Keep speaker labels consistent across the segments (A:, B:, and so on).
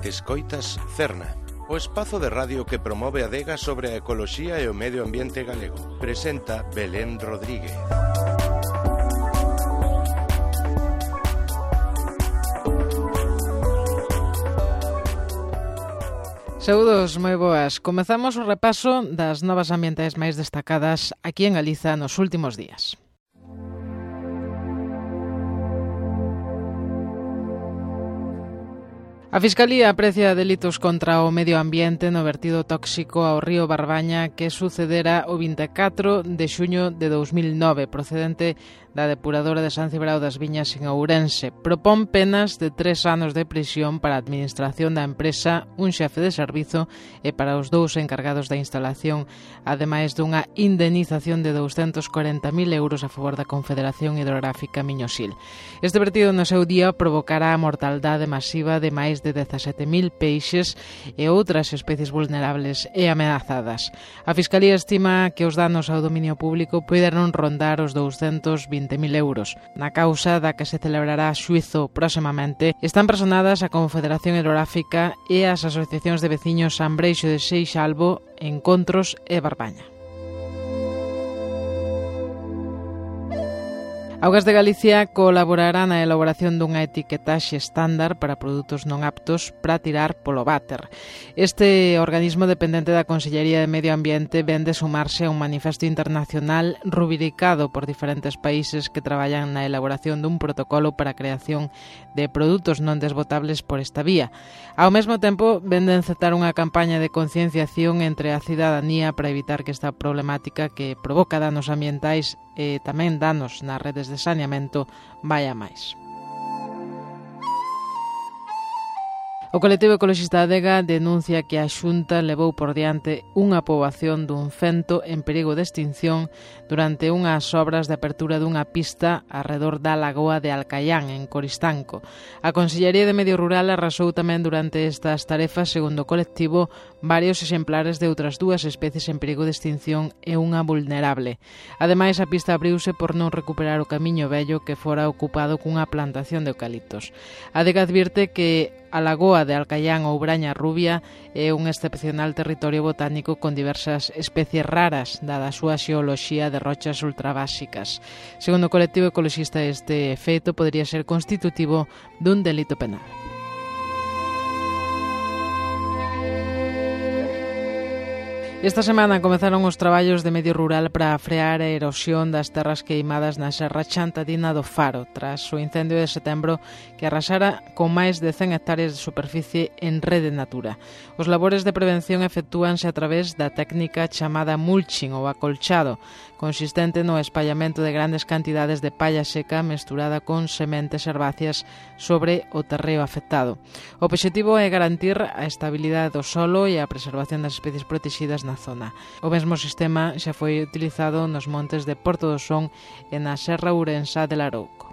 A: Escoitas Cerna, o espazo de radio que promove a adega sobre a ecoloxía e o medio ambiente galego. Presenta Belén Rodríguez.
B: Saúdos, moi boas. Comezamos o repaso das novas ambientais máis destacadas aquí en Galiza nos últimos días. A Fiscalía aprecia delitos contra o medio ambiente no vertido tóxico ao río Barbaña que sucedera o 24 de xuño de 2009, procedente da depuradora de San Cibrao das Viñas en Ourense. Propón penas de 3 anos de prisión para a administración da empresa, un xefe de servizo e para os 2 encargados da instalación, ademais dunha indemnización de 240.000 euros a favor da Confederación Hidrográfica Miñosil. Este vertido no seu día provocará a mortaldade masiva de máis de 17.000 peixes e outras especies vulnerables e ameazadas. A Fiscalía estima que os danos ao dominio público poderán rondar os 220.000 euros. Na causa da que se celebrará xuízo próximamente están personadas a Confederación Hidrográfica e as asociacións de veciños San Breixo de Seixalbo, Encontros e Barbaña. Augas de Galicia colaborará na elaboración dunha etiquetaxe estándar para produtos non aptos para tirar polo váter. Este organismo dependente da Consellería de Medio Ambiente vén de sumarse a un manifesto internacional rubricado por diferentes países que traballan na elaboración dun protocolo para a creación de produtos non desbotables por esta vía. Ao mesmo tempo, vén de encetar unha campaña de concienciación entre a cidadanía para evitar que esta problemática que provoca danos ambientais e tamén danos nas redes de saneamento vai a máis. O colectivo ecoloxista Adega denuncia que a Xunta levou por diante unha poboación dun fento en perigo de extinción durante unhas obras de apertura dunha pista arredor da lagoa de Alcaián, en Coristanco. A Consellería de Medio Rural arrasou tamén durante estas tarefas, segundo o colectivo, varios exemplares de outras 2 especies en perigo de extinción e unha vulnerable. Ademais, a pista abriuse por non recuperar o camiño vello que fora ocupado cunha plantación de eucaliptos. Adega advirte que a lagoa de Alcaián ou Braña Rubia é un excepcional territorio botánico con diversas especies raras, dada a súa xeoloxía de rochas ultrabásicas. Segundo o colectivo ecoloxista, este feito podría ser constitutivo dun delito penal. Esta semana comezaron os traballos de medio rural para frear a erosión das terras queimadas na Serra Chantadina do Faro, tras o incendio de setembro que arrasara con máis de 100 hectáreas de superficie en Rede Natura. Os labores de prevención efectúanse a través da técnica chamada mulching ou acolchado, consistente no espallamento de grandes cantidades de palla seca mesturada con sementes herbáceas sobre o terreo afectado. O obxectivo é garantir a estabilidade do solo e a preservación das especies protegidas na zona. O mesmo sistema xa foi utilizado nos montes de Porto do Son e na Serra Ourensá de Larouco.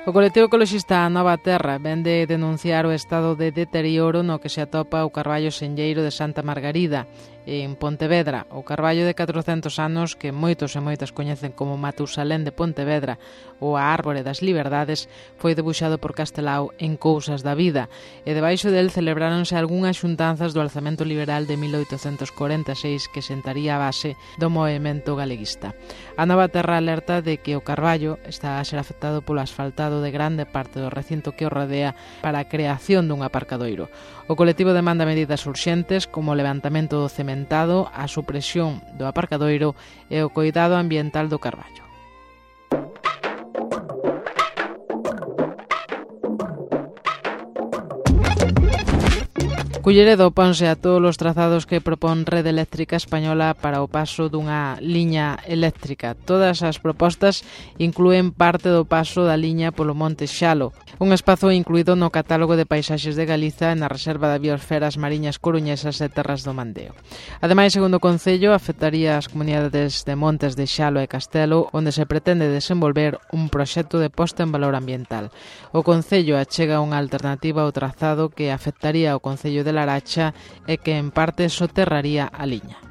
B: O colectivo ecoloxista Nova Terra vén de denunciar o estado de deterioro no que se atopa o carballo senlleiro de Santa Margarida, en Pontevedra, o carballo de 400 anos que moitos e moitas coñecen como Matusalén de Pontevedra ou a Árbore das Liberdades, foi debuxado por Castelao en Cousas da Vida, e debaixo del celebráronse algunhas xuntanzas do alzamento liberal de 1846 que sentaría a base do movemento galeguista. A Nova Terra alerta de que o carballo está a ser afectado polo asfaltado de grande parte do recinto que o rodea para a creación dun aparcadoiro. O colectivo demanda medidas urxentes como o levantamento do cementado, a supresión do aparcadoiro e o coidado ambiental do carballo. Culleredo oponse a todos os trazados que propón Rede Eléctrica Española para o paso dunha liña eléctrica. Todas as propostas inclúen parte do paso da liña polo Monte Xalo, un espazo incluído no catálogo de paisaxes de Galiza e na Reserva de Biosferas Mariñas Coruñesas e Terras do Mandeo. Ademais, segundo o Concello, afectaría as comunidades de Montes de Xalo e Castelo, onde se pretende desenvolver un proxecto de posta en valor ambiental. O Concello achega unha alternativa ao trazado que afectaría ao Concello de Laracha e que en parte soterraría a liña.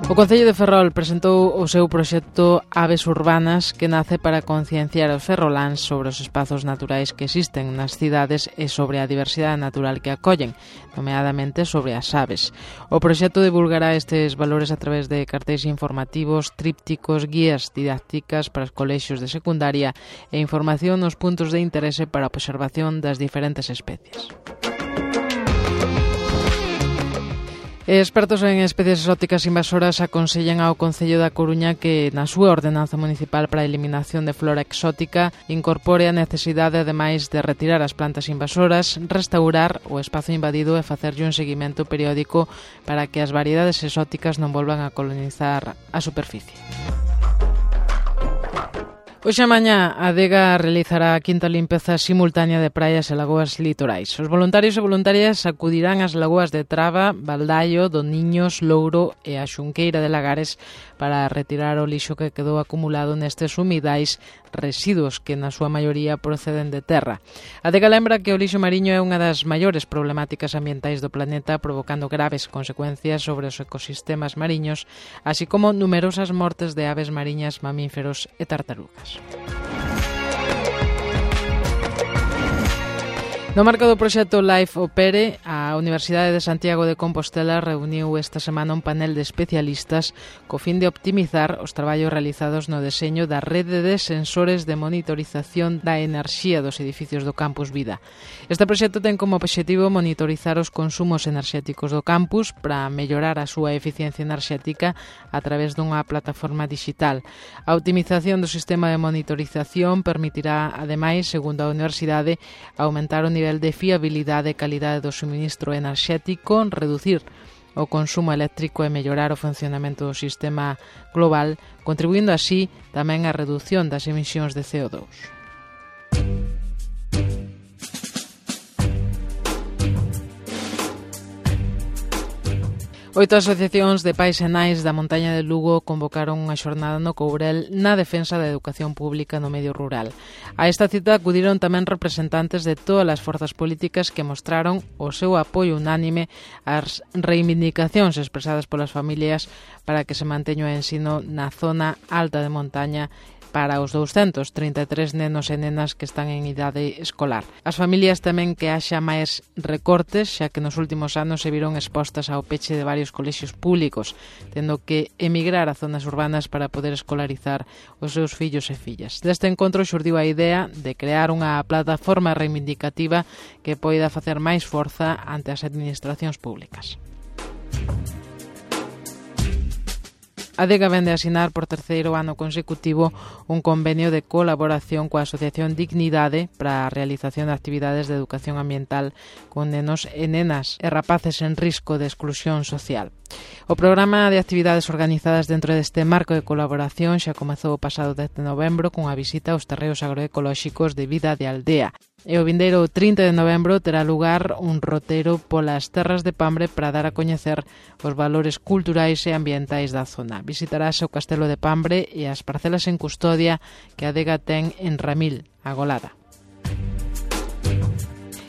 B: O Concello de Ferrol presentou o seu proxecto Aves Urbanas, que nace para concienciar os ferroláns sobre os espazos naturais que existen nas cidades e sobre a diversidade natural que acollen, nomeadamente sobre as aves. O proxecto divulgará estes valores a través de cartéis informativos, trípticos, guías didácticas para os colexios de secundaria e información nos puntos de interese para a observación das diferentes especies. Expertos en especies exóticas invasoras aconsellan ao Concello da Coruña que na súa ordenanza municipal para a eliminación de flora exótica incorpore a necesidade, ademais de retirar as plantas invasoras, restaurar o espazo invadido e facerlle un seguimento periódico para que as variedades exóticas non volvan a colonizar a superficie. Hoxe a mañá a Adega realizará a quinta limpeza simultánea de praias e lagoas litorais. Os voluntarios e voluntarias acudirán ás lagoas de Traba, Baldaio, Doniños, Louro e a Xunqueira de Lagares para retirar o lixo que quedou acumulado nestes humidais residuos que na súa maioría proceden de terra. A Adega lembra que o lixo mariño é unha das maiores problemáticas ambientais do planeta, provocando graves consecuencias sobre os ecosistemas mariños, así como numerosas mortes de aves mariñas, mamíferos e tartarugas. No marco do proxecto Life Opere, a Universidade de Santiago de Compostela reuniu esta semana un panel de especialistas co fin de optimizar os traballos realizados no deseño da rede de sensores de monitorización da enerxía dos edificios do Campus Vida. Este proxecto ten como obxectivo monitorizar os consumos enerxéticos do campus para mellorar a súa eficiencia enerxética a través dunha plataforma digital. A optimización do sistema de monitorización permitirá, ademais, segundo a Universidade, aumentar o nivel de fiabilidade e calidade do suministro enerxético, reducir o consumo eléctrico e mellorar o funcionamento do sistema global, contribuindo así tamén á redución das emisións de CO2. Oito asociacións de pais e nais da montaña de Lugo convocaron unha xornada no Courel na defensa da educación pública no medio rural. A esta cita acudiron tamén representantes de todas as forzas políticas que mostraron o seu apoio unánime ás reivindicacións expresadas polas familias para que se manteña o ensino na zona alta de montaña para os 233 nenos e nenas que están en idade escolar. As familias temen que haxa máis recortes, xa que nos últimos anos se viron expostas ao peche de varios colexios públicos, tendo que emigrar a zonas urbanas para poder escolarizar os seus fillos e fillas. Deste encontro xurdiu a idea de crear unha plataforma reivindicativa que poida facer máis forza ante as administracións públicas. A Adega vende a asinar por terceiro ano consecutivo un convenio de colaboración coa Asociación Dignidade para a realización de actividades de educación ambiental con nenos e nenas e rapaces en risco de exclusión social. O programa de actividades organizadas dentro deste marco de colaboración xa comezou o pasado 10 de novembro cunha visita aos terreos agroecolóxicos de Vida de Aldea. E o vindeiro 30 de novembro terá lugar un roteiro polas terras de Pambre para dar a coñecer os valores culturais e ambientais da zona. Visitarase o Castelo de Pambre e as parcelas en custodia que a Adega ten en Ramil, a Golada.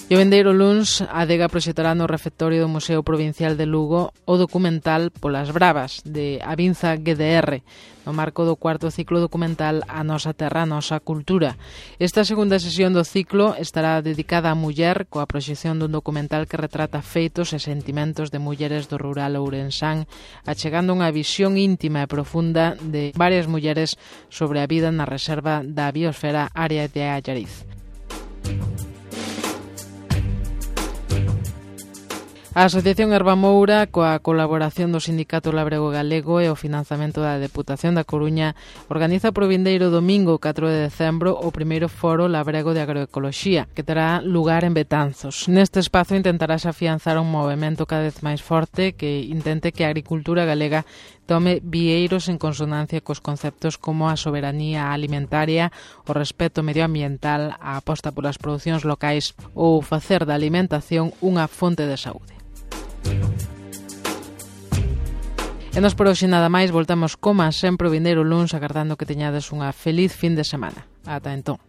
B: E o vindeiro luns, a Adega proxectará no refectorio do Museo Provincial de Lugo o documental Polas Bravas, de Avinza GDR, no marco do cuarto ciclo documental A Nosa Terra, a Nosa Cultura. Esta segunda sesión do ciclo estará dedicada á muller, coa proxección dun documental que retrata feitos e sentimentos de mulleres do rural ourensán, achegando unha visión íntima e profunda de varias mulleres sobre a vida na reserva da biosfera área de Allariz. A Asociación Herbamoura, coa colaboración do Sindicato Labrego Galego e o financiamento da Deputación da Coruña, organiza pro vindeiro domingo 4 de decembro o primeiro foro labrego de agroecoloxía, que terá lugar en Betanzos. Neste espazo intentarás afianzar un movemento cada vez máis forte que intente que a agricultura galega tome vieiros en consonancia cos conceptos como a soberanía alimentaria, o respeto medioambiental, a aposta polas producións locais ou facer da alimentación unha fonte de saúde. E nos por hoxe nada máis, voltamos como sempre o vindeiro luns, agardando que teñades unha feliz fin de semana. Ata entón.